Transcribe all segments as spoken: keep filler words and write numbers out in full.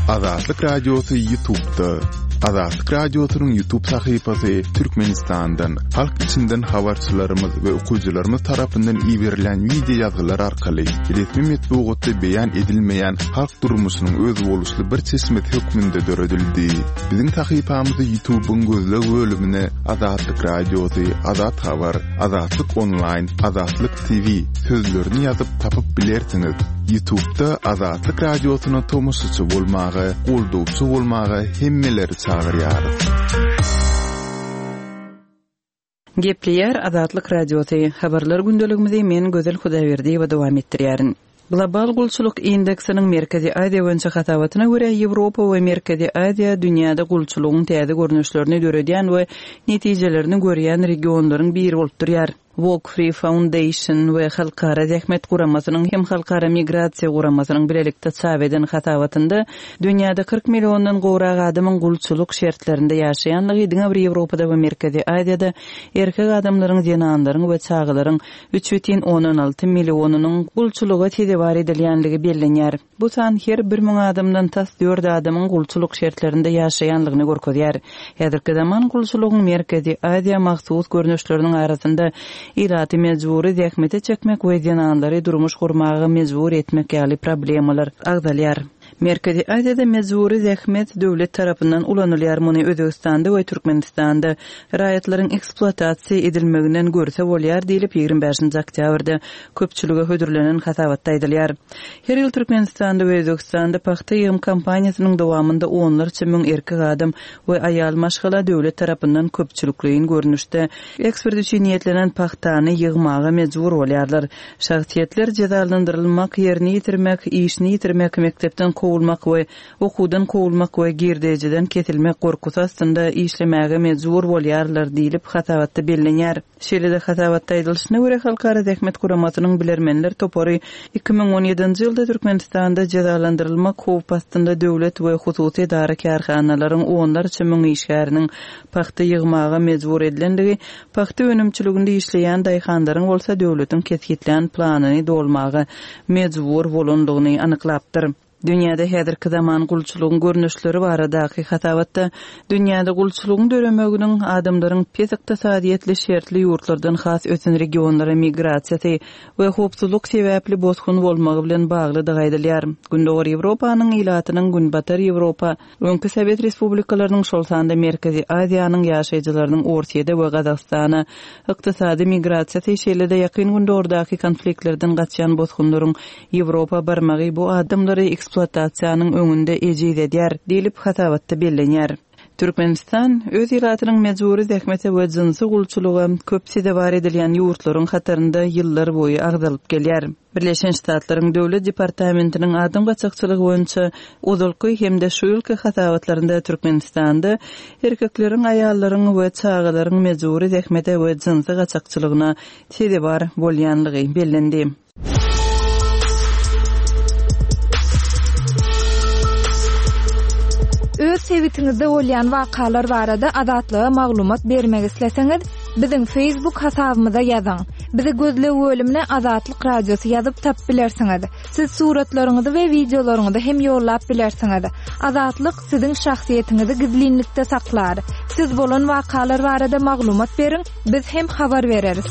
Azatlyk Radiosy YouTube'da. Azatlyk Radiosynyň YouTube sahypasy Türkmenistandan, halk içinden habarçylarymyz we okyjylarymyz tarapyndan iberilen wideo ýazgylar arkaly resmi metbugatda beýan edilmeýän halk durmuşynyň özboluşly bir çeşmesi hökmünde döredildi. Biziň sahypamyzy YouTube'yň gözleg bölümine Azatlyk Radiosy, Azat Habar, Azatlyk Online, Azatlyk T V sözlerini ýazyp tapyp bilersiňiz. YouTube'da Azatlyk Radiosyna tomaşaçy bolmaga, goldawçy bolmaga hemmeleri çagyrýarys. Gepleýär Azatlyk Radiosy. Habarlar gündeligimizi men Gözel Hudaýberdiýewa dowam etdirýärin. Global gulçulyk indeksiniň Merkezi Aziýa boýunça hasabatyna görä Ýewropa we Merkezi Aziýa dünýäde gulçulygyň täze görnüşlerini döredýän we netijelerini görýän regionlaryň biri bolup durýar. Walk Free Foundation we Halkara Zähmet Guramasynyň hem Halkara Migrasiýa Guramasynyň bilelikde çap eden hasabatynda dünýäde kyrk milliondan gowrak adamyň gulçulyk şertlerinde ýaşaýanlygy diňe bir Ýewropada we Merkezi Aziýada erkek adamlaryň, zenanlaryň we çagalaryň üç bütin ondan alty millionynyň gulçulyga sezewar edilýänligi bellenýär. Bu san her bir müň adamdan tas dört adamyň gulçulyk şertlerinde ýaşaýanlygyny görkezýär. Häzirki zaman gulçulygyň Merkezi Aziýa mahsus görnüşleriniň arasynda ilaty mejbury zähmete çekmek we zenanlary durmuş gurmaga mejbur etmek ýaly problemalar agzalýar. Merkezi Aziýada mejbury zähmet döwlet tarapyndan ulanylýar. Muny Özbekistanda we Türkmenistanda raýatlaryň ekspluatasiýa edilmeginden görse bolýar diýlip ýigrimi bäşinji oktýabrda köpçülige hödürlenen hasabatda aýdylýar. Her ýyl Türkmenistanda we Özbekistanda pagta ýygym kampaniýasynyň dowamynda onlarça müň erkek adam we aýal maşgala döwlet tarapyndan köpçülikleýin görnüşde eksport üçin niýetlenen pagtany ýygmaga mejbur bolýarlar. Şahsyýetler jezalandyrylmak, ýerini ýitirmek, işini ýitirmek, mekdepden kowulmak we okuwdan kowulmak we girdejiden kesilmek gorkusy astynda işlemäge mejbur bolýarlar diýlip hasabatda bellenýär. Şeýle-de hasabatda aýdylyşyna görä Halkara Zähmet Guramasynyň bilermenler topary iki müň on ýedinji ýylda Türkmenistanda jezalandyrylmak howp astynda döwlet we hususy edara kärhanalaryň onlarça müň işgäriniň pagta ýygmaga mejbur edilendigi, pagta önümçiliginde işleýän daýhanlaryň bolsa döwletiň kesgitlän planyny dolmaga mejbur bolandygyny anyklapdyr. Dünýäde häzirki zaman gulçulygyň görnüşleri baradaky hasabatda dünýäde gulçulygyň döremeginiň adamlaryň pes ykdysadyýetli şertli ýurtlardan has ösen regionlara migrasiýasy we howpsuzlyk sebäpli bosgun bolmagy bilen baglydygy aýdylýar. Gündogar Ýewropanyň ilatynyň Günbatar Ýewropa, öňki Sowet Respublikalarynyň, şol sanda Merkezi Aziýanyň ýaşaýjylarynyň Orsiýada we Gazagystana ykdysady migrasiýasy, şeýle-de Ýakyn Gündogardaki konfliktlerden gaçýan bosgunlaryň Ýewropa barmagy bu adamlary ekspluatasiýanyň öňünde ejiz edýär diýlip hasabatda bellenýär. Türkmenistan öz ilatynyň mejbury zähmete we jynsy gulçulyga köp sezewar edilýän ýurtlaryň hatarynda ýyllar boýy agzalyp gelýär. Birleşen Ştatlaryň Döwlet Departamentiniň adam gaçakçylygy boýunça ozalky hem-de şu ýylky hasabatlarynda Türkmenistanda erkekleriň, aýallaryň we çagalaryň mejbury zähmete we jynsy gaçakçylygyna sezewar bolýanlygy bellendi. Öz sebitiňizde bolýan wakalar barada Azatlyga maglumat bermek isleseňiz, biziň Facebook hasabymyza ýazyň. Bizi gözleg bölümine Azatlyk Radiosy ýazyp tap bilersiňiz. Siz suratlaryňyzy we wideolaryňyzy hem ýollap bilersiňiz. Azatlyk siziň şahsyýetiňizi gizlinlikde saklar. Siz bolan wakalar barada maglumat beriň, biz hem habar bereris.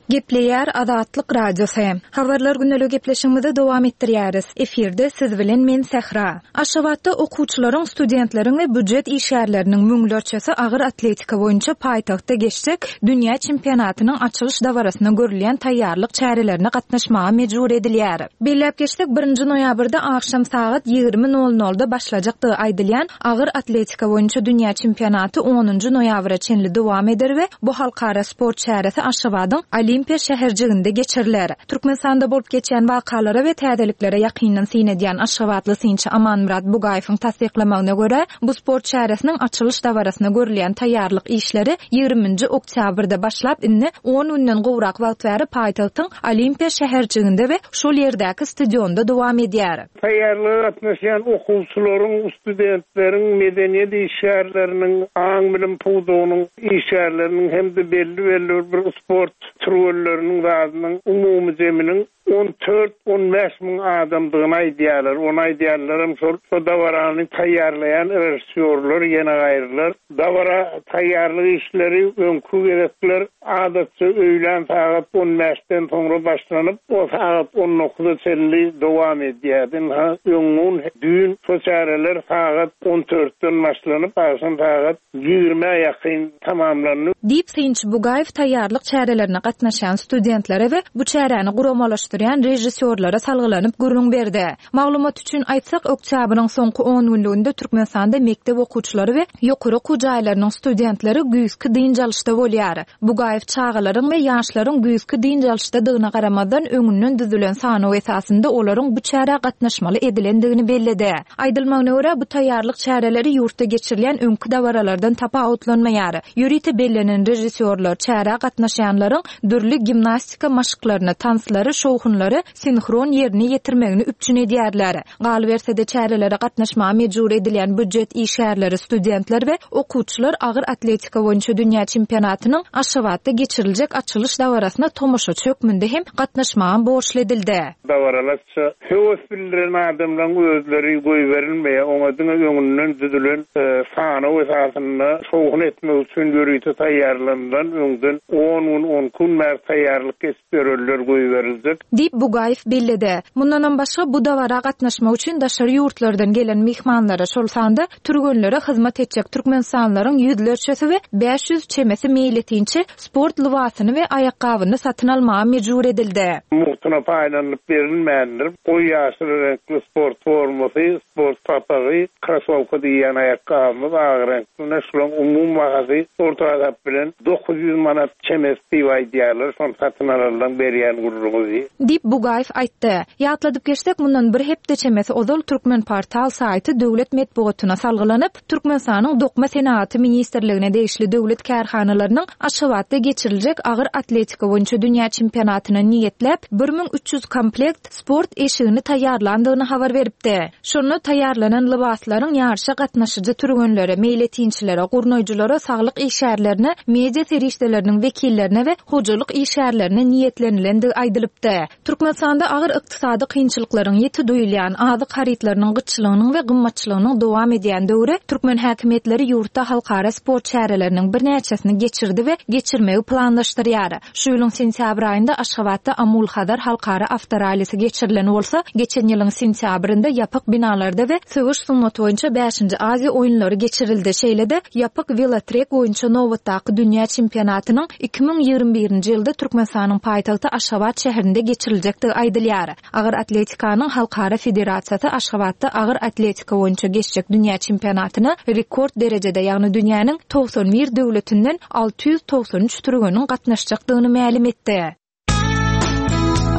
Gepleýär Azatlyk Radiosy. Habarlar gündelik gepleşigimizi dowam etdirýäris. Efirde siz bilen men Sähra. Aşgabatda okuwçylaryň, studentleriň we býujet işgärleriniň müňlerçesi agyr atletika boýunça paýtagtda geçjek dünýä çempionatynyň açylyş dabarasyna görülýän taýýarlyk çärelerine gatnaşmaga mejbur edilýär. Belläp geçsek, birinji noýabrda agşam sagat ýigrimi nol nolda başlajakdygy aýdylýan agyr atletika boýunça dünýä çempionaty onunjy noýabra çenli dowam eder we bu halkara sport çäresi Aşgabadyň Olimpiýa şäherjiginde geçiriler. Türkmenistanda bolup geçýän wakalara we täzeliklere ýakyndan syn edýän Aşgabatly synçy Amanmyrat Bugaýewiň tassyklamagyna görä, bu sport çäresiniň açylyş dabarasyna görülýän taýýarlyk işleri ýigriminji oktýabrda başlap, indi on günden gowrak wagt bäri paýtagtyň Olimpiýa şäherjiginde we şol ýerdäki stadionda dowam edýär. Taýýarlyga gatnaşýan okuwçylaryň, studentleriň, medeniýet işgärleriniň, aň-bilim pudagynyň işgärleriniň hem-de belli-belli bir sport türgenleriniň zadynyň umumy zeminiň on dört on bäş müň adamdygyny aýdýarlar. Ony aýdýanlaram şol şo dabarany taýýarlaýan režissýorlar ýene gaýrylar. Dabara taýýarlyk işleri öňkü gezekler adatça öýlän sagat on bäşden soňra başlanyp, o sagat on dokuza çenli dowam edýärdi. Ha, öňňun düýn şo çäreler sagat on dörtden başlanyp, agşam sagat ýigrimä ýakyn tamamlandy. Diýip synçy Bugaýew taýýarlyk çärelerine gatnaşan studentlere we bu çäräni guramalaşdyrýan režissýorlara salgylanyp gürrüň berdi. Maglumat üçin aýtsak, oktýabryň soňky on günlüginde Türkmenistanda mekdep okuwçylary we ýokary okuw jaýlarynyň studentleri güýzki dynç alyşda bolýar. Bugaýew çagalaryň we ýaşlaryň güýzki dynç alyşdadygyna garamazdan öňünden düzülen sanaw esasynda olaryň bu çärä gatnaşmaly edilendigini belledi. Aýdylmagyna görä bu taýýarlyk çäreleri ýurtda geçirilýän öňkü dabaralardan tapawutlanmaýar. Ýörite bellenen režissýorlar çärä gatnaşýanlaryň dürli gimnastika maşklaryny, tanslary, şowhunlary sinhron ýerine ýetirmegini üpjün edýärler. Galyberse-de çärelere gatnaşmaga mejbur edilýän býujet işgärleri, studentler we okuwçylar agyr atletika boýunça dünýä çempionatynyň Aşgabatda geçiriljek açylyş dabarasyna tomaşaçy hökmünde hem gatnaşmaga borçly edildi. Dabaralaşça höwes bildiren adamlaryň özleri goýberilmeýär. Oňa diňe öňünden düzülen, e, sanaw esasynda şowhun etmek üçin ýörite taýýarlanylan öňden on gün, on gün bäri taýýarlyk geçip ýörenler goýberiljek. Diýip Bugaýew belledi. Mundanam başga bu dabara gatnaşmak üçin daşary ýurtlardan gelen mehmanlara, şol sanda türgenlere hyzmat etjek Türkmenistanlylaryň ýüzlerçesi we bäş ýüz çemesi meýletinçi sport lybasyny we aýakgabyny satyn almaga mejbur edildi. Mugtuna paýlanyp berilmändir. Goý ýaşyl reňkli sport formasy, sport papagy, krasowka diýen aýakgabymyz agyr reňkli. Şularyň umumy bahasy orta hasap bilen dokuz ýüz manat çemesi diýip aýdýarlar. Şony satyn alanlaryň berýän gürrüňi. Diýip Bugaýew aýtdy. Ýatladyp geçsek, mundan bir hepde çemesi ozal Türkmen portal saýty döwlet metbugatyna salgylanyp, Türkmenistanyň Dokma Senagaty Ministrligine degişli döwlet kärhanalarynyň Aşgabatda geçiriljek agyr atletika boýunça dünýä çempionatyna niýetläp bir müň üç ýüz komplekt sport eşigini taýýarlandygyny habar beripdi. Şonda taýýarlanan lybaslaryň ýaryşa gatnaşyjy türgenlere, meýletinçilere, gurnaýjylara, saglyk işgärlerine, media serişdeleriniň wekillerine we hojalyk işgärlerine niýetlenilendigi aýdylypdy. Türkmenistanda agyr ykdysady kynçylyklaryň ýeti duýulýan azyk harytlarynyň gytçylygynyň we gymmatçylygynyň dowam edýän döwri türkmen häkimiýetleri ýurtda halkara sport çäreleriniň birnäçesini geçirdi we geçirmegi planlaşdyrýar. Şu ýylyň sentýabr aýynda Aşgabatda Amul Hazar halkara awtoralisi geçirilen bolsa, geçen ýylyň sentýabrynda ýapyk binalarda we söweş sungaty boýunça bäşinji Aziýa oýunlary geçirildi. Şeýle-de ýapyk welotrek boýunça nobatdaky dünýä çempionatynyň iki müň ýigrimi birinji ýylda Türkmenistanyň paýtagty Aşgabat şäherinde geçiriljekdigi aýdylýar. Agyr atletikanyň Halkara Federasiýasy Aşgabatda agyr atletika boýunça geçjek dünýä çempionatyna rekord derejede, ýagny dünýäniň togsan bir döwletinden alty ýüz togsan üç türgeniň gatnaşjakdygyny mälim etdi.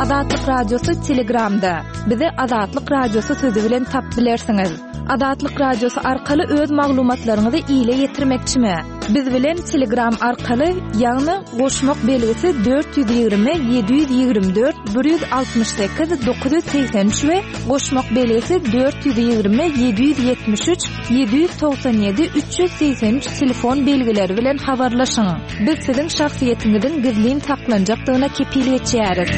Azatlyk Radiosy Telegramda. Bizi Azatlyk Radiosy sözü bilen tap bilersiňiz. Azatlyk Radiosy arkaly öz maglumatlaryňyzy ile ýetirmekçimi? Biz bilen Telegram arkaly, ýagny goşmak belgisi dört ýüz ýigrimi, ýedi ýüz ýigrimi dört, bir ýüz altmyş sekiz, dokuz ýüz segsen üç we goşmak belgisi dört ýüz ýigrimi, ýedi ýüz ýetmiş üç, ýedi ýüz togsan ýedi, üç ýüz segsen üç telefon belgileri bilen habarlaşyň. Biz siziň şahsyýetiňiziň gizlin saklanjakdygyna kepil geçýäris.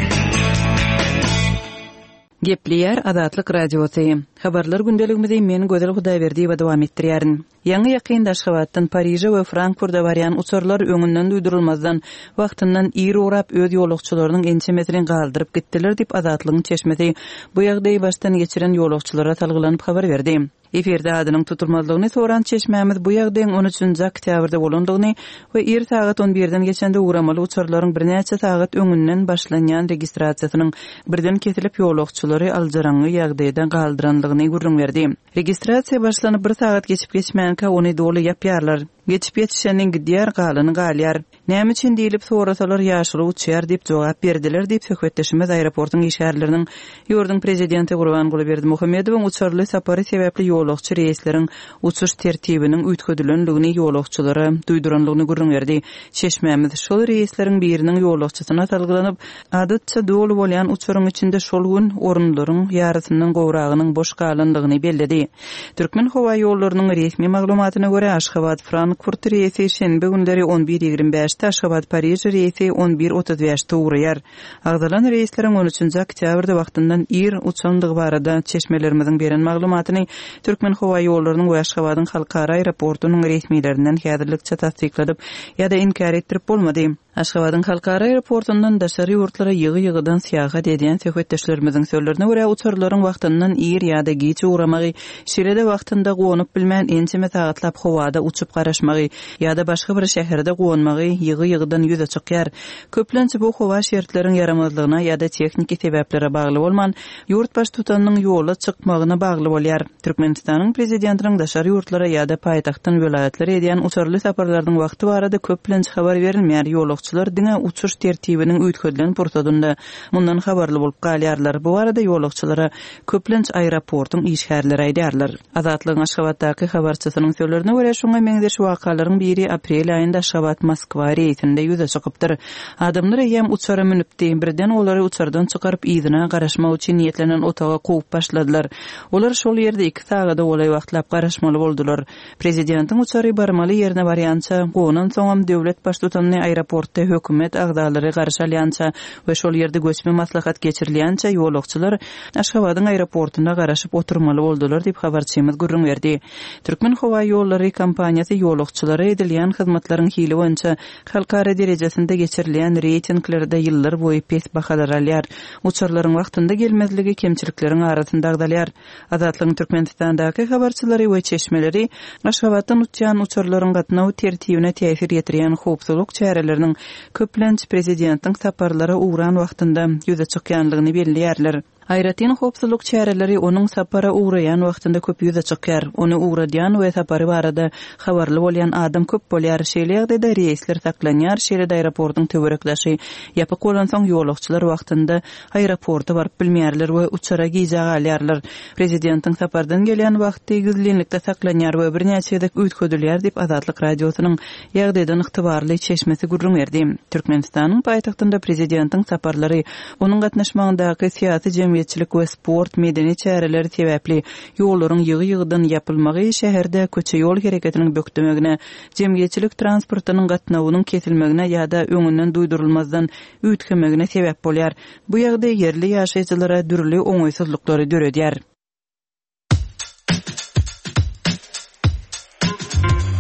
Gepleýär Azatlyk Radiosy. Habarlar gündeligimizi men Gözel Hudaýberdiýewa dowam etdirýärin. Ýaňy ýakynda Aşgabatdan Pariže we Frankfurta barýan uçarlar öňünden duýdurylmazdan wagtyndan ir ugrap öz ýolagçylarynyň ençemesini galdyryp gitdiler diýip Azatlygyň çeşmesi bu ýagdaýy başdan geçiren ýolagçylara salgylanyp habar berdi. Efirde adynyň tutulmazlygyny soran çeşmämiz bu ýagdaýyň on üçünji oktýabrda bolandygyny we ir sagat on birden geçende ugramaly uçarlaryň birnäçe sagat öňünden başlanýan registrasiýasynyň birden kesilip ýolagçylary aljyraňňy ýagdaýda galdyrandygyny gürrüň berdi. Registrasiýa başlanyp bir sagat geçip geçmänkä ony doly ýapýarlar. Geçip ýetişeniň gidýär, galany galýar. Näme üçin diýilip sorasalar ýaşyly uçýar diýip jogap berdiler diýip söhbetdeşimiz aeroportuň işgärleriniň ýurduň prezidenti Gurbanguly Berdimuhamedowyň uçarly sapary sebäpli ýolagçy reýsleriň uçuş tertibiniň üýtgedilendigini ýolagçylara duýdurandygyny gürrüň berdi. Çeşmämiz şol reýsleriň biriniň ýolagçysyna salgylanyp, adatça doly bolýan uçaryň içinde şol gün orunlaryň ýarysyndan gowragynyň boş galandygyny belledi. Türkmen howa ýollarynyň resmi maglumatyna görä Aşgabat Frankfurt Aşgabat-Frankfurt reýsi şenbe günleri on bir ýigrimi bäşde, Aşgabat-Pariž reýsi on bir otuz bäşde ugraýar. Agzalan reýsleriň on üçünji oktýabrda wagtyndan ir uçandygy barada çeşmelerimiziň beren maglumatyny Türkmenhowaýollarynyň we Aşgabadyň halkara aeroportunyň resmilerinden häzirlikçe tassykladyp ýa-da inkär etdirip bolmady. Aşgabadyň halkara aeroportundan daşary ýurtlara ýygy-ýygydan syýahat edýän söhbetdeşlerimiziň sözlerine görä, uçarlaryň wagtyndan ir ýa-da giç ugramagy, şeýle-de wagtynda gonup bilmän ençeme sagatlap howada uçup garaşmagy ýa-da başga bir şäherde gonmagy ýygy-ýygydan ýüze çykýar. Köplenç bu howa şertleriň ýaramazlygyna ýa-da tehniki sebäplere bagly bolman, ýurt baştutanynyň ýola çykmagyna bagly bolýar. Türkmenistanyň prezidentiniň daşary ýurtlara ýa-da paýtagtdan welaýatlara edýän uçarly saparlarynyň wagty barada köplenç habar berilmeýär. Ýolagçylar diňe uçuş tertibiniň üýtgedilen pursadynda mundan habarly bolup galýarlar. Bu barada ýolagçylara köplenç aeroportuň işgärleri aýdýarlar. Azatlygyň Aşgabatdaky habarçysynyň sözlerine görä, şoňa meňzeş wakalaryň biri aprel aýynda Aşgabat-Moskwa reýsinde ýüze çykypdyr. Adamlar eýýäm uçara münüpdi. Birden olary uçardan çykaryp yzyna garaşmak üçin niýetlenen otaga kowup başladylar. Olar şol ýerde iki sagada golaý wagtlap garaşmaly boldular. Prezidentiň uçary barmaly ýerine barýança, gonan soňam döwlet baştutanyny aeroportda hökümet agzalary garşy alýança we şol ýerde göçme maslahat geçirilýänçe ýolagçylar Aşgabadyň aeroportunda garaşyp oturmaly boldular diýip habarçymyz gürrüň berdi. Türkmen howa ýollary kompaniýasy ýolagçylara edilýän hyzmatlaryň hili boýunça halkara derejesinde geçirilýän reýtinglerde ýyllar boýy pes bahalar alýar. Uçarlaryň wagtynda gelmezligi kemçilikleriň arasynda agzalýar. Azatlygyň Türkmenistandaky habarçylary we çeşmeleri Aşgabatdan uçýan uçarlaryň gatnaw tertibine täsir ýetirýän howpsuzlyk çäreleriniň köplenç prezidentiň saparlara ugran wagtynda ýüze çykýanlygyny belleýärler. Aýratyn howpsuzlyk çäreleri onuň sapara ugraýan wagtynda köp ýüze çykýar. Ony ugradýan we sapary barada habarly bolýan adam köp bolýar. Şeýle ýagdaýda reýsler saklanýar, şeýle-de aeroportuň töwerekdaşy ýapyk bolansoň ýolagçylar wagtynda aeroporta baryp bilmeýärler we uçara gijä galýarlar. Prezidentiň sapardan gelýän wagty gizlinlikde saklanýar we birnäçe gezek üýtgedilýär diýip Azatlyk radiosynyň ýagdaýdan ygtybarly çeşmesi gürrüň berdi. Türkmenistanyň paýtagtynda prezidentiň saparlary onuň gatnaşmagyndaky syýasy jemgyýetçilik we sport medeni çäreleri sebäpli ýollaryň ýygy-ýygydan ýapylmagy şäherde köçe ýol hereketiniň bökdemegine, jemgyýetçilik transportynyň gatnawynyň kesilmegine ýa-da öňünden duýdurylmazdan üýtgemegine sebäp bolýar. Bu ýagdaý ýerli ýaşaýjylara dürli oňaýsyzlyklary döredýär.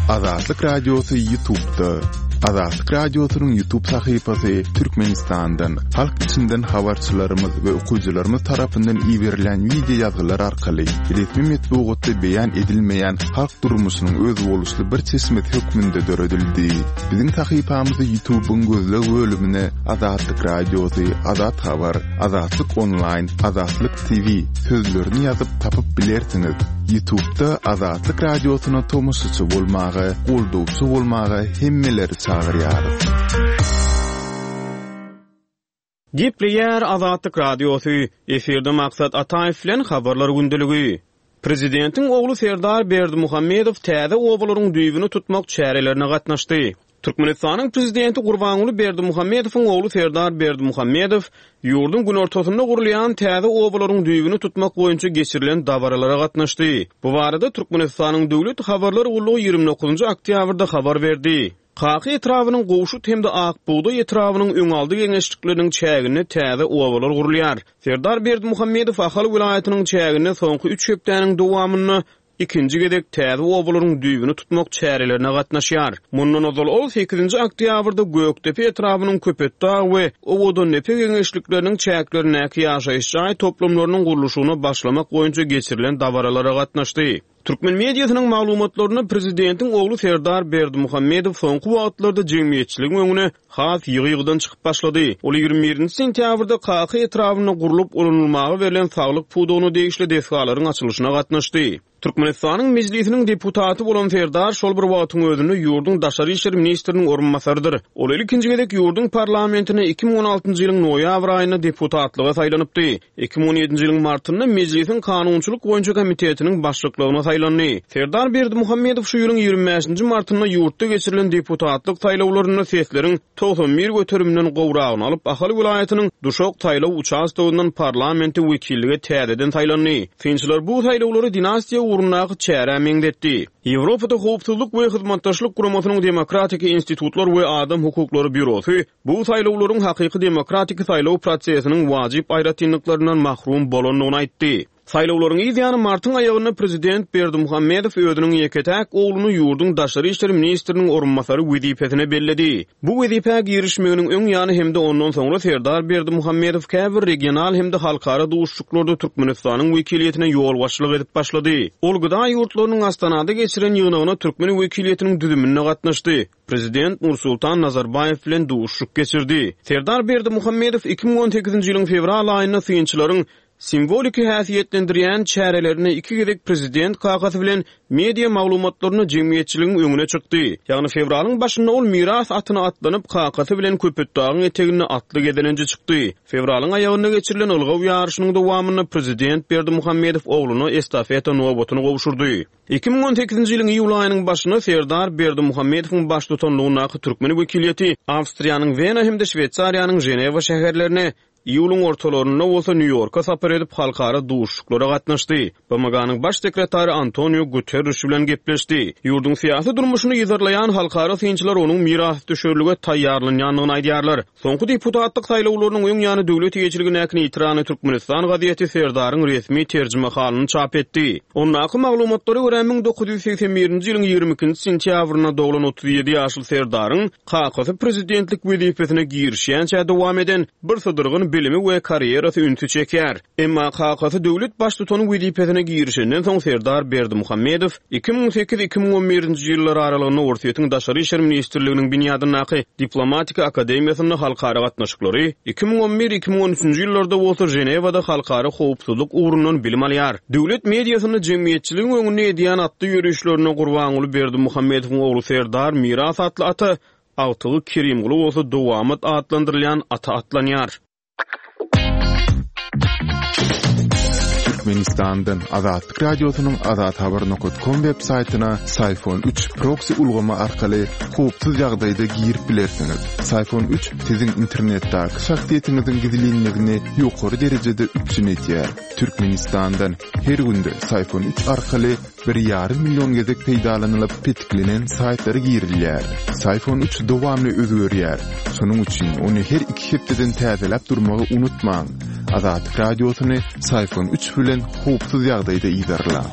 Azatlyk Radiosy YouTube'da. Azatlyk Radiosynyň YouTube sahypasy Türkmenistandan, halk içinden habarçylarymyz we okyjylarymyz tarapyndan iberilen video ýazgylar arkaly resmi metbugatda beýan edilmeýän halk durmuşynyň özboluşly bir çeşmesi hökmünde döredildi. Biziň sahypamyzy YouTube'yň gözleg bölümine Azatlyk Radiosy, Azat Habar, Azatlyk Online, Azatlyk T V sözlerini ýazyp tapyp bilersiňiz. YouTube'da Azatlyk Radiosyna tomaşaçy bolmaga, goldawçy bolmaga hemmeleri çagyrýarys. Gepleýär Azatlyk Radiosy, efirde Maksat Ataýew bilen habarlar gündeligi. Prezidentiň ogly Serdar Berdimuhamedow täze obalaryň düýbüni tutmak çärelerine gatnaşdy. Türkmenistanyň prezidenti Gurbanguly Berdimuhamedowyň ogly Serdar Berdimuhamedow ýurduň günortasynda gurulýan täze obalaryň düýbüni tutmak boýunça geçirilen dabaralara gatnaşdy. Bu barada Türkmenistanyň Döwlet habarlar gullugy ýigrimi dokuzynjy oktýabrda habar berdi. Kaka etrabynyň Gowşut hem-de Akbugdaý etrabynyň öňaldy geňeşlikleriniň çäginde täze obalar gurulýar. Serdar Berdimuhamedow Ahal welaýatynyň çäginde soňky üç hepdäniň dowamynda ikinji gezek täze obalaryň düýbüni tutmak çärelerine gatnaşýar. Mundan ozal ol sekizinji oktýabrda Gökdepe etrabynyň Köpetdag we Owadandepe geňeşlikleriniň çäklerindäki ýaşaýyş jaý toplumlarynyň gurluşygyna başlamak boýunça geçirilen dabaralara gatnaşdy. Türkmen mediasynyň maglumatlarynda prezidentiň ogly Serdar Berdimuhamedow soňky wagtlarda jemgyýetçiligiň öňüne has ýygy-ýygydan çykyp başlady. Ol ýigrimi birinji sentýabrda Kaka etrabynda gurlup ulanylmaga berlen saglyk pudagyna degişli desgalaryň açylyşyna gatnaşdy. Türkmenistanyň Mejlisiniň deputaty bolan Serdar şol bir wagtyň özünde ýurduň daşary işler ministriniň orunbasarydyr. Ol ilkinji gezek ýurduň parlamentine iki müň on altynjy ýylyň noýabr aýynda deputatlyga saýlanypdy. Iki müň on ýedinji ýylyň martynda Mejlisiň kanunçylyk boýunça komitetiniň başlyklygyna saýlandy. Serdar Berdimuhamedow şu ýylyň ýigrimi bäşinji martynda ýurtda geçirilen deputatlyk saýlawlarynda sesleriň togsan bir göterimden gowragyny alyp, Ahal welaýatynyň Duşak saýlaw uçastogyndan parlamente wekillige täzeden saýlandy. Synçylar bu saýlawlary dinastiýa ugrundaky çärä meňzetdi. Ýewropada Howpsuzlyk we Hyzmatdaşlyk Guramasynyň Demokratik institutlar we adam hukuklary býurosy bu saýlawlaryň hakyky demokratik saýlaw prosesiniň wajyp aýratynlyklaryndan mahrum bolandygyny aýtdy. Saýlawlaryň ýany martyň aýagynda prezident Berdimuhamedow özüniň ýeke-täk ogluny ýurduň daşary işler ministriniň orunbasary wezipesine belledi. Bu wezipä girişmeginiň öň ýany hem-de ondan soňra Serdar Berdimuhamedow käbir regional hem-de halkara duşuşyklarda Türkmenistanyň wekiliýetine ýolbaşçylyk edip başlady. Ol gıda ýurtlarynyň Astanada geçiren ýygnagyna türkmen wekiliýetiniň düzüminde gatnaşdy. Prezident Nursultan Nazarbaýew bilen duşuşyk geçirdi. Serdar Berdimuhamedow iki müň on sekizinji ýylyň fewral aýynda synçylaryň simwoliki häsiýetlendirýän çärelerini iki gezek prezident kakasy bilen media maglumatlaryny jemgyýetçiligiň öňüne çykdy. Ýagny fewralyň başynda ol miras atyna atlanyp kakasy bilen Köpetdagyň eteginde atly gezelenje çykdy. Fewralyň aýagynda geçirilen ylgaw ýaryşynyň dowamynda prezident Berdimuhamedow ogluna estafeta nobatyny gowşurdy. iki müň on sekizinji ýylyň iýul aýynyň başynda Serdar Berdimuhamedowyň baştutanlygyndaky türkmen wekiliýeti Awstriýanyň Wena hem-de Şweýsariýanyň Ženewa şäherlerine, iýulyň ortalarynda bolsa Nýu-Ýorka sapar edip halkara duşuşyklara gatnaşdy. B M G-nyň baş sekretary Antonio Guterres bilen gepleşdi. Ýurduň syýasy durmuşyny yzarlaýan halkara synçylar onuň mirasdüşerlige taýýarlanýandygyny aýdýarlar. Soňky deputatlyk saýlawlarynyň öň ýany döwlet eýeçiligindäki Nitrany Türkmenistan gazeti Serdaryň resmi terjimehalyny çap etdi. Ondaky maglumatlara görä müň dokuz ýüz segsen birinji ýylyň ýigrimi ikinji sentýabrynda doglan otuz ýedi ýaşly Serdaryň kakasy prezidentlik wezipesine girişýänçä dowam eden bir sydyrgyn bilimi we karýerasy ünsi çeker. Emma kakasy döwlet baştutany wezipesine girişenden soň Serdar Berdimuhamedow iki müň sekiz iki müň on birinji ýyllar aralygynda Orsýetiň Daşary işler ministrliginiň binýadyndaky Diplomatika akademiýasynda halkara gatnaşyklary, iki müň on bir iki müň on üçünji ýyllarda bolsa Ženewada halkara howpsuzlyk ugrundan bilim alýar. Döwlet mediasynda jemgyýetçiligiň öňünde edýän atly ýörüşlerine Gurbanguly Berdimuhamedowyň ogly Serdar Miras atly ata, agtygy Kerimguly bolsa Dowamat atlandyrylýan ata atlanýar. Türkmenistandan Azatlyk Radiosynyň azathabar nokta com web saýtyna Syfon üç proxy ulgamy arkaly howpsuz ýagdaýda girip bilersiňiz. Syfon üç siziň internetdäki şahsyýetiňiziň gizlinligini ýokary derejede üpjün edýär. Türkmenistandan her günde Syfon üç arkaly bir ýarym million gezek peýdalanylyp petiklenen saýtlara girilýär. Syfon üç dowamly özgerýär. Şonuň üçin ony her iki hepdeden täzeläp durmagy unutmaň. Azatlyk Radiosyny Syfon üç bilen howpsuz ýagdaýda yzarlaň.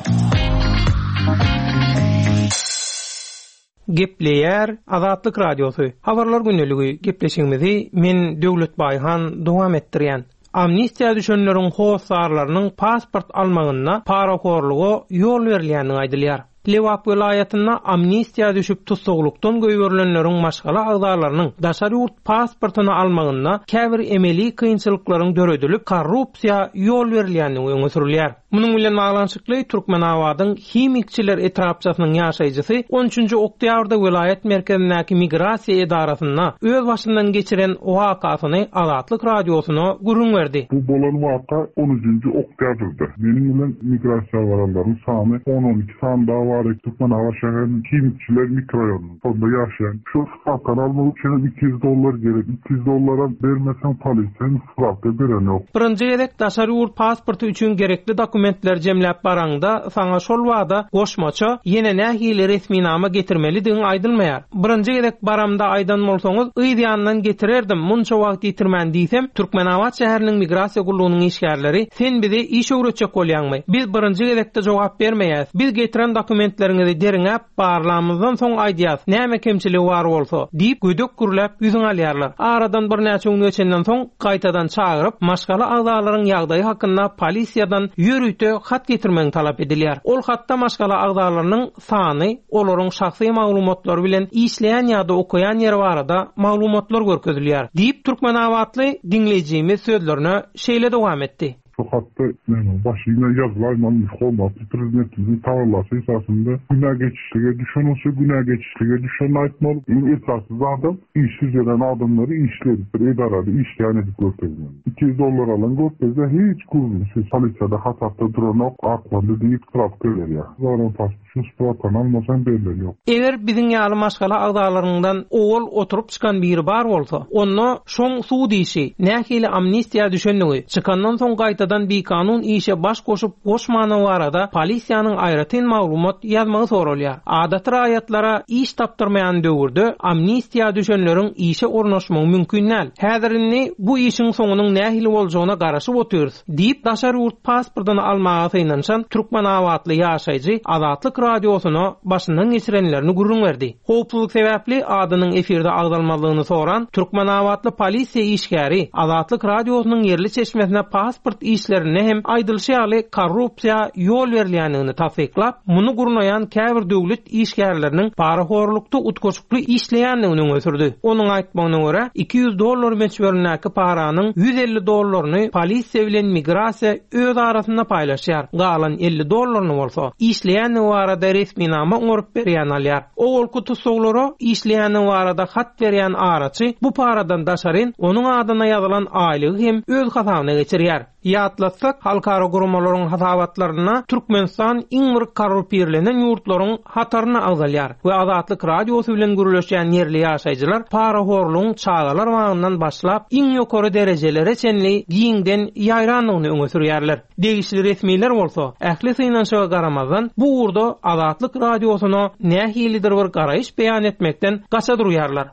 Gepleýär Azatlyk Radiosy. Habarlar gündeligi gepleşigimizi men Döwlet Baýhan dowam etdirýän. Amnistiýa düşenleriň hossarlarynyň pasport almagynda parahorluga ýol berilýänini aýdylýar. Lebap welaýatynda amnistiýa düşüp tutuklukdan goýberilenleriň maşgala agzalarynyň daşary ýurt pasportyny almagynda käbir emeli kynçylyklaryň döredilip korrupsiýa ýol berilýänini öňe sürülýär. Munuň bilen baglanyşykly Türkmenabadyň Himikçiler etrapçasynyň ýaşaýjysy on üçünji oktýabrda welaýat merkezindäki migrasiýa edarasynda öz başyndan geçiren wakasyny Azatlyk Radiosyna gürrüň berdi. Bu bolan waka on üçünji oktýabrda. Meniň bilen migrasiýa baranlaryň sany on on iki sany daha var. Türkmenabat şäheriniň Himikçiler mikroraýonynyň sonda ýaşaýan. Şu spravkany almak üçin iki ýüz dollar gerek. Iki ýüz dollara bermeseň polisiýa spravka beren ýok. Birinji gezek daşary ýurt pasporty üçin gerekli dokumentler jemläp baraňda saňa şol wada goşmaça ýene nähili resminama getirmelidigiň aýdylmaýar. Birinji gezek baramda aýdan bolsaňyz, yz ýandan getirerdim, munça wagt ýitirmän diýsem, Türkmenabat şäheriniň migrasiýa gullugynyň işgärleri sen bize iş öwretjek bolýaňmy? Biz birinji gezekde jogap bermeýäs. Biz getiren dokumentleriňizi deriňäp barlamyzdan soň aýdýas. Näme kemçiligi bar bolsa diýip gödek gürläp ýüzüň alýarlar. Aradan birnäçe gün geçenden soň gaýtadan çagyryp, maşgala agzalaryň ýagdaýy hakynda polisiýadan ýörite hat getirmegi talap edilýär. Ol hatda maşgala agzalarynyň sany, olaryň şahsy maglumatlary bilen işleýän ýa-da okaýan ýeri barada maglumatlar görkezilýär diýip Türkmenabatly diňleýjimiz sözlerine şeýle dowam etdi. Şu hatda näme başyna ýazylaýmaly hormatly prezidentimizin taglymaty esasynda günä geçişlige düşen olsa günä geçişlige düşen aýtmaly. Iň esasy zadam işsiz gelen adamlary işli edip bir edarada işleýän edip görkezmeli. Iki ýüz dollar alan görkezse hiç gürrüňsiz polisiýada hasapda duranok, aklandy diýip spravka berýär. Zaran pasport Şu sprawkany almasaň berlen ýok. Eger biziň ýaly maşgala agzalaryňdan owal oturyp çykan biri bar bolsa, onda şoň sud işi, nähili amnistiýa düşenligi, çykandan soň gaýtadan bikanun işe baş goşup goşmany barada polisiýanyň aýratyn maglumat ýazmagy soralýar. Adaty raýatlara iş tapdyrmaýan döwürde amnistiýa düşenleriň işe ornaşmagy mümkin däl. Häzir indi bu işiň soňunyň nähili boljagyna garaşyp otyrys diýip daşary ýurt pasportyny almaga synanyşan Türkmenabatly ýaşaýjy Azatlyk radiosyna başyndan geçirenlerini gürrüň berdi. Howpsuzlyk sebäpli adynyň efirde agzalmazlygyny soran Türkmenabatly polisiýa işgäri Azatlyk radiosynyň ýerli çeşmesine pasport işlerinde hem aýdylyşy ýaly korrupsiýa ýol berilýändigini tassyklap, muny gurnaýan käbir döwlet işgärleriniň parahorlukda utgaşykly işleýändigini öňe sürdi. Onuň aýtmagyna görä, iki ýüz dollar möçberindäki paranyň ýüz elli dollaryny polisiýa bilen migrasiýa öz arasynda paýlaşýar. Galan elli dollaryny bolsa işleýändigi barada resminama oňaryp berýän alýar. Owalky tussaglara işleýändigi barada hat berýän araçy bu paradan daşaryn onuň adyna ýazylan aýlygy hem öz hasabyna geçirýär. Ýatlatsak, halkara guramalaryň hasabatlarynda Türkmenistan iň bir korrupirlenen ýurtlaryň hataryna agzalýar we Azatlyk radiosy bilen gürleşýän ýerli ýaşaýjylar parahorlugyň çagalar bagyndan başlap iň ýokary derejelere çenli giňden ýaýrandygyny öňe sürýärler. Degişli resmiler bolsa ähli synanyşyga garamazdan bu ugurda Azatlyk radiosyna nähilidir bir garaýyş beýan etmekden gaça durýarlar.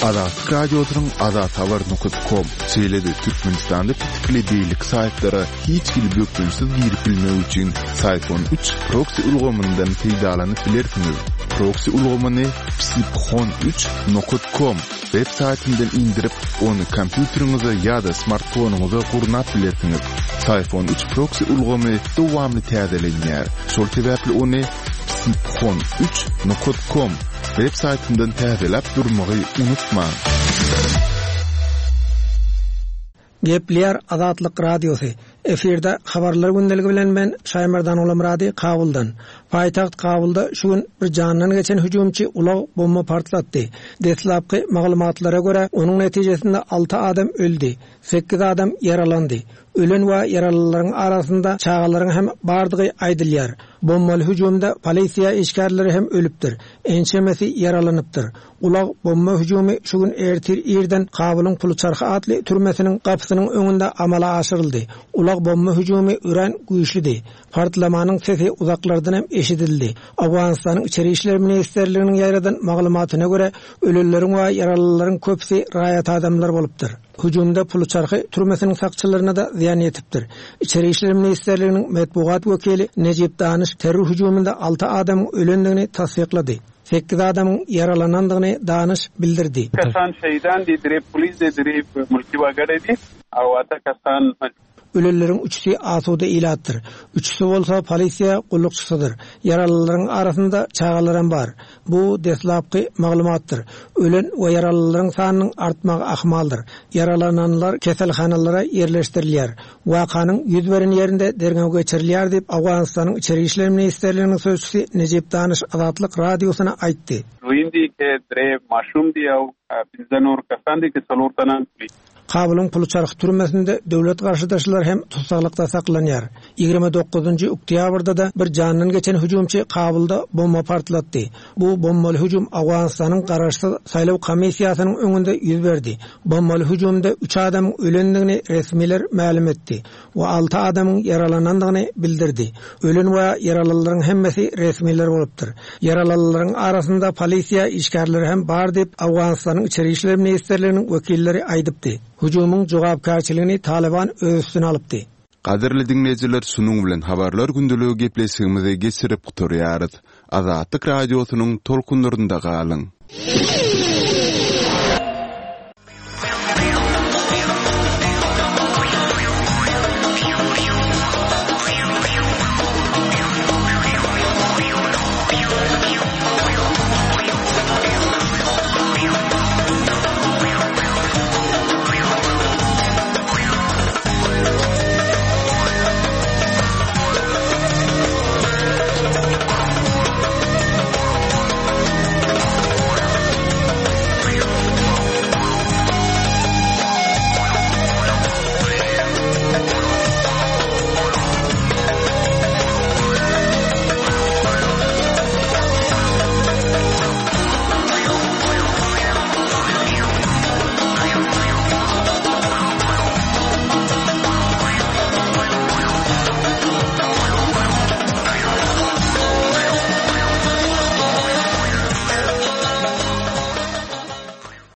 Azatlyk radiosynyň azathabar nokta com şeýle-de Türkmenistanda pitikli beýleki saýtlara hiç hili bökdençsiz girip bilmek üçin Syphon üç proxy ulgamyndan peýdalanyp bilersiňiz. Proxy ulgamyny psiphon üç nokta com web saýtyndan indirip, ony kompýuteriňize ýa-da smartfonyňyza gurnap bilersiňiz. Syphon üç proxy ulgamy dowamly täzelenýär. Şol sebäpli ony psiphon üç nokta com web saýtyndan täzeläp durmagy unutmaň. Gepleýär Azatlyk radiosy. Efirde habarlar gündeligi bilen men Şaýmerdan Ulamrady Kabuldan. Paýtagt Kabulda şu gün bir jandan geçen hüjümçi ulag bomba partlatdy. Deslapky maglumatlara görä onuň netijesinde alty adam öldi, sekiz adam ýaralandy. Ölen we ýaralylaryň arasynda çagalaryň hem bardygy aýdylýar. Bombaly hüjümde polisiýa işgärleri hem ölüpdir. Ençemesi ýaralanypdyr. Ulag bomba hüjümi şu gün ertir irden Kabulyň Puluçarhy atly türmesiniň gapysynyň öňünde amala aşyryldy. Ulag bomba hüjümi örän güýçlüdi. Partlamanyň sesi uzaklardan hem eşidildi. Awganystanyň Içeri İşler Ministerliginiň ýaýradan maglumatyna görä, ölenleriň we ýaralylaryň köpüsi raýat adamlar bolupdyr. Hüjümde Puluçarhy türmesiniň sakçylaryna da zyýan ýetipdir. İçeri İşler Ministerliginiň metbugat wekili Nejip Daniş terror hüjüminde alty adamyň ölendigini tassyklady. Sekiz adamyň ýaralanandygyny Daniş bildirdi. Kasan şeýdan di, dire polis di, dire mulki wagare di, awata kasan Ölenleriň üçüsi asuda ilatdyr. Üçüsi bolsa polisiýa gullukçysydyr. Ýaralylaryň arasynda çagalaram bar. Bu deslapky maglumatdyr. Ölen we ýaralylaryň sanynyň artmagy ahmaldyr. Ýaralananlar keselhanalara ýerleşdirilýär. Wakanyň ýüz beren ýerinde derňew geçirilýär diýip Awganystanyň Içeri İşler Ministerliginiň sözçüsi Nejip Daniş Azatlyk radiosyna aýtdy. Ruindi ke dre maşum diýaw, bizden or kasandi ke salortanan. Kabulyň Puluçarhy türmesinde döwlet garşydaşlar hem tutsaglykda saklanýar. Ýigrimi dokuzynjy oktýabrda da bir jandan geçen hüjümçi Kabulda bomba partlatdy. Bu bombaly hüjüm Awganystanyň garaşsyz saýlaw komissiýasynyň öňünde ýüz berdi. Bombaly hüjümde üç adamyň ölendigini resmiler mälim etdi we alty adamyň ýaralanandygyny bildirdi. Ölen we ýaralylaryň hemmesi resmiler bolupdyr. Ýaralylaryň arasynda polisiýa işgärleri hem bar diýip Awganystanyň Içeri İşler Ministerliginiň wekilleri aýdypdy. Hüjümiň jogapkärçiligini Taliban öz üstüne alypdy. Gadyrly dinleýjiler, şunuň bilen habarlar gündeligi gepleşigimizi geçirip gutarýarys. Azatlyk radiosynyň tolkunlarynda galyň.